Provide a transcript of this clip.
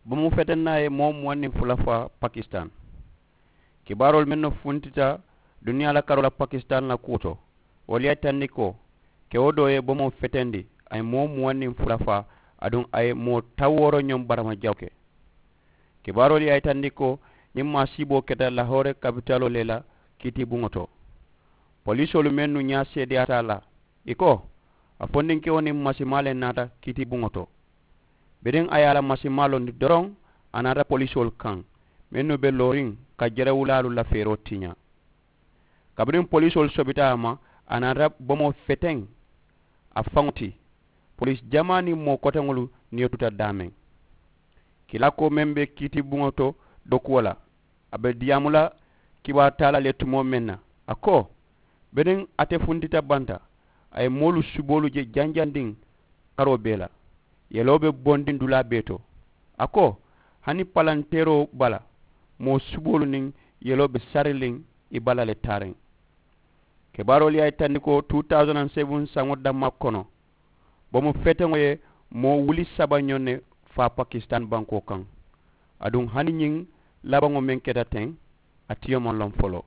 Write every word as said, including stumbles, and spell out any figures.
Bomu fetenna ye moo muwaŋ niŋ fula faa pakistan. Kibaaroolu mennu funtita duniyaa la karoo la pakistan la kuwo to, wolu ye a yitandi ko kewo doo ye bomoo fetendi, a ye moo muwaŋ niŋ fula faa, aduŋ a ye moo tawooro ñoŋ barama jawo ke. Kibaaroolu ye a yitandi ko ñiŋ maasiiboo keta lahoore kapitaloo le la kiitibuŋo to. Poliisoolu mennu ñaa seedeyaata a la, ì ko a fondinkewo niŋ masimaa le naata kiitibuŋo to. Biriŋ a ye a la masimaa londi doroŋ, a naata poliisoolu kaŋ mennu be looriŋ ka jerewulaalu la feeroo tiñaa. Kabiriŋ poliisoolu sobita a ma, a naata bomoo feteŋ a faŋo ti. Poliisi jamaa niŋ moo koteŋolu niyo tuta daameŋ. Kilaakoo meŋ be kiitibuŋo to dookuwo la, a be diyaamu la kibaaru taa la le tumoo meŋ na, a ko biriŋ ate funtita banta, a ye moolu suboolu je janjandiŋ karoo bee la. Yeloo be bondiŋ dulaa bee to. A ko hani palanteeroo bala, moo suboolu niŋ yeloo be sariliŋ i bala le taariŋ. Kibaaroolu ye a yitandi ko two thousand and seven saŋo dammaa kono, bomu feteŋo ye moo wuli saba ñoŋ ne faa pakistan bankoo kaŋ. Aduŋ hani ñiŋ labaŋo meŋ keta teŋ, a tiyo maŋ loŋ foloo.